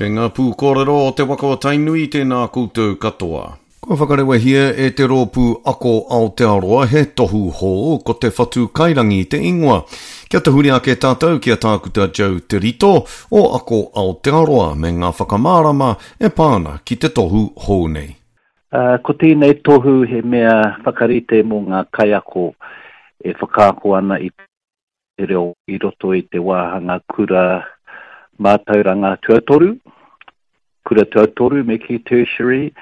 Kei ngā pūkōrero o te waka o Tainui tēnā koutou katoa. Kua whakarewahia e te Rōpū Ako Aotearoa he tohu hou, ko te Whatu Kairangi te ingoa. Kia tahuri ake tātou ki a Tākuta Joe Te Rito o Ako Aotearoa me ngā whakamārama e pā ana ki te tohu hou nei. Ko tēnei tohu he mea whakarite mō ngā kaiako e whakaako ana i te reo i roto i te wāhanga kura mātauranga tuatoru, kura tuatoru me kī tertiary,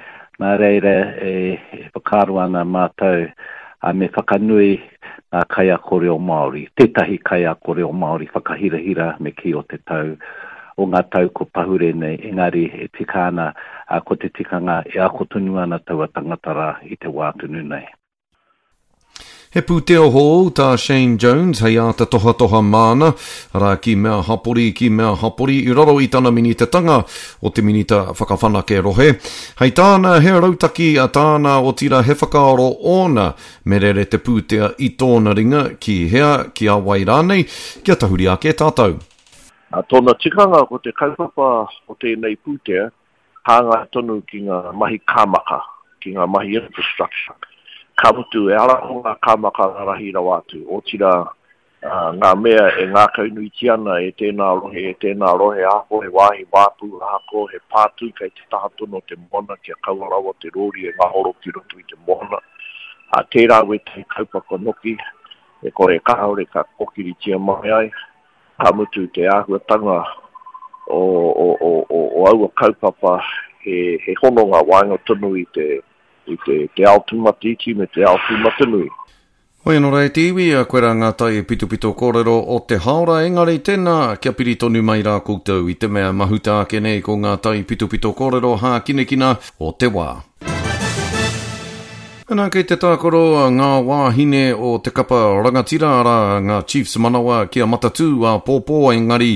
nā reira e whakaaro ana mātou me whakanui ngā kaiako reo Māori, tētahi kaiako reo Māori whakahirahira me kī o te tau, o ngā tau ko pahure nei, engari e tika ana, ko te tikanga e ako tonu ana taua tangata rā i te wā tonu nei. He pūtea hou tā Shane Jones hei āta tohatoha māna, arā, ki mea hapori, ki mea hapori i raro i tana minitatanga o te Minita Whakawhanake Rohe. Hei tāna, he rautaki a tāna, otirā he whakaaro ōna me rere te pūtea i tōna ringa, ki hea, ki a wai rānei, kia tahuri ake tātou. Tōna tikanga ko te kaupapa o tēnei pūtea hāngai tonu ki ngā mahi kāmaka, ki ngā mahi infrastructure. Ka mutu, ehara ko ngā kāmaka rarahi rawa atu, otirā, ngā mea e ngākaunuitia ana e tēnā rohe, e tēnā rohe, ahakoa he wāhi wāpu, ahakoa he pātū kei te taha tonu o te moana kia kaua rawa te rōri e ngahoro ki roto i te moana. Ā, tērā wētahi kaupapa noki e kore kāore ka kōkiritia mai ai. Ka mutu te āhuatanga o, o, o, o, o aua kaupapa he, he hononga waenga tonu i te, i te, te ao tūmataiti me te ao tūmatanui. Hoi anō rā e te iwi, koirā ngā tai pitopito kōrero o te hāora, engari tēnā, kia piri tonu mai rā koutou i te mea mahuta ake nei ko ngā tai pitopito kōrero hākinakina o te wā. Ana kei te tākaro ngā wāhine o te kapa rangatira, arā, ngā Chiefs manawa ki a Matatū āpōpō, engari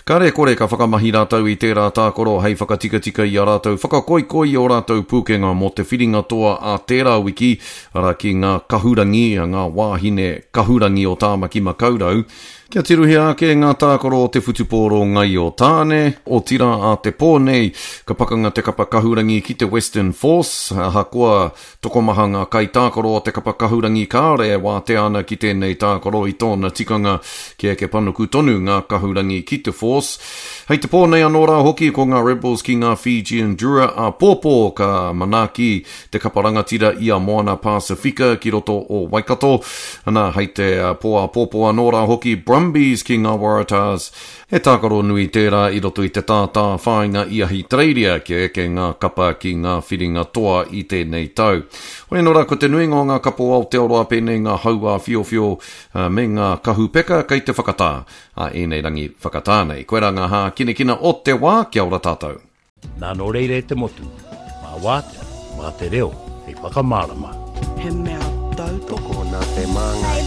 kare kore ka whakamahi rātou i tērā tākaro hei whakatikatika i a rātou whakakoikoi i ō rātou pūkenga mō te whiringa toa a tērā wiki, arā, ki ngā kahurangi, ngā wāhine kahurangi o Tāmaki Makaurau. Kia tirohia ake ngā tākaro o te whutupōro ngaio tāne, otirā a te pō nei, ka pakanga te kapa kahurangi ki te Western Force, ahakoa tokomaha ngā kaitākaro o te kapa kahurangi kāore e wātea ana ki tēnei tākaro i tōna tikanga kia eke panuku tonu ngā kahurangi ki te Force. Hei te pō nei anō rā hoki ko ngā Rebels ki ngā Fijian Drua āpōpō ka manaaki te kapa rangatira i a Moana Pasifika ki roto o Waikato. Ana, hei te pō āpōpō anō rā hoki, Brumbies ki ngā Waratahs. He tākaro nui tērā i roto i te tātā whāinga i Ahitereiria kia eke ngā kapa ki ngā whiringa toa i tēnei tau. Hoi anō rā, ko te nuinga o ngā kapa o Aotearoa pēnei ngā hau āwhiowhio me ngā kahu peka kei te whakatā a ēnei rangi whakatā nei. Koirā ngā hākinakina o te wā, kia ora tātou. Nā nō reira e te motu, mā wātea, mā te reo hei whakamārama. He mea tautoko. Tokona te māngai.